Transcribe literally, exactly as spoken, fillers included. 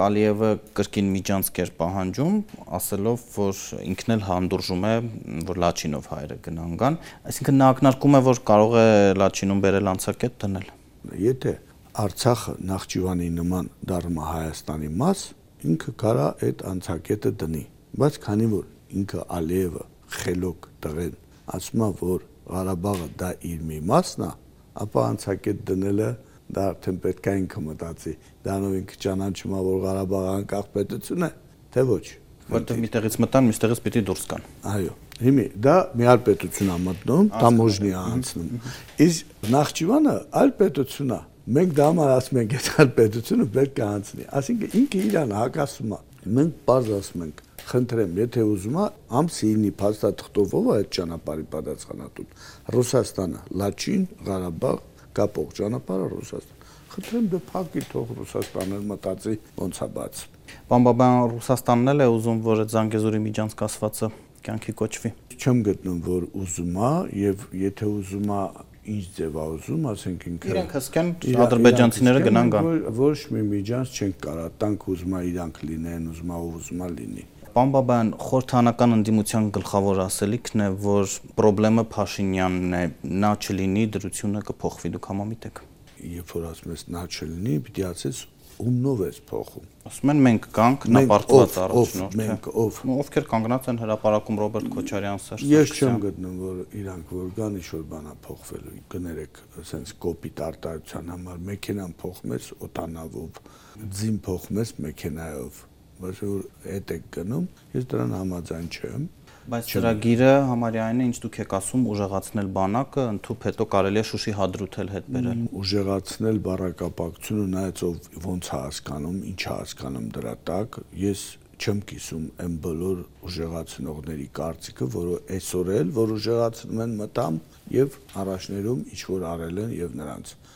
Ալիևը կրկին միջանցք էր պահանջում, ասելով, որ ինքն էլ հանդուրժում է, որ Լաչինով հայերը գնան գան, այսինքն նա ակնարկում է, որ կարող է Լաչինում բերել անցակետ դնել։ Եթե Արցախը Նախճիվանի նման դառնում է Հայաստանի մաս, ինքը կարա այդ անցակետը դնի, բայց քանի որ ինքը Ալիևը խելոք տղեն ասում է, որ Ղարաբաղը դա իր մի մասն է, ապա անցակետ դնելը դա արդեն պետք է ինքը մտածի, դրանով ինքը ճանաչում է, որ Ղարաբաղը անկախ պետություն է, թե ոչ։ Որտեղ միտեղից մտան, մյուստեղից պիտի դուրս գան։ Այո, հիմի դա մի այլ պետություն է մտնում, տամոժնի է անցնում։ Իսկ Նախճիվանը այլ պետություն է։ Մենք դա համար ասում ենք, այդ այլ պետությունը պետք է անցնի։ Այսինքն ինքը իրան հակասում է։ Մենք բարձ ասում ենք, խնդրեմ, եթե ուզում է, ամսինի փաստաթղթով ով է այդ ճանապարհի պատասխանատուն։ Ռուսաստանը, Լաչին, Ղարաբաղ, կապող ճանապարհը Ռուսաստան։ Խնդրեմ դե փակի թող Ռուսաստանը մտածի ոնց է բաց։ Պարոն Բաբայան, Ռուսաստանն էլ է ուզում, որ այդ Զանգեզուրի միջանցք ասվածը կյանքի կոչվի։ Չեմ գտնում, որ ուզում է, եւ եթե ուզում է, ինչ ձև է ուզում, ասենք ինքը Իրանք հսկեն ադրբեջանցիները գնան գան։ Ոչ մի միջանց չեն կարա, տանք ուզում է իրանք լինեն, ուզում է ով ուզում է լինի։ Պարոն Բաբայան, խորհրդանական ընդդիմության գլխավոր ասելիքն է, որ խնդրեմը Փաշինյանն է, նա չլինի, դրությունը կփոխվի, դուք համամիտ եք։ Երբ որ ասում ես նա չլինի, պիտի ասես ումնով ես փոխում։ Ասում են մենք կանք, նա պարտված առաջնորդ է։ Մենք ով։ Ովքեր կանգնած են հրապարակում Ռոբերտ Քոչարյան, Սերժ Ես չեմ գտնում, որ իրանք որ գան ինչ-որ բան է փոխվելու։ Կներեք, ասենց կոպիտ արտահայտության համար մեքենան փոխում ես օտանավով, ձին փոխում ես մեքենայով, բայց որ հետ եք գնում, ես դրան համաձայն չեմ։ Բայց ծրագիրը համարյա այն է, ինչ դուք եք ասում, ուժեղացնել բանակը, ընդհուպ հետո կարելի է Շուշի հադրութել հետ բերել։ Ուժեղացնել բառակապակցությունը նայած ով ոնց է հասկանում, ինչ է հասկանում դրա տակ, ես չեմ կիսում այն բոլոր ուժեղացնողների կարծիքը, որը այսօր էլ որ ուժեղացնում են մտամ եւ առաջներում ինչ որ արել են եւ նրանց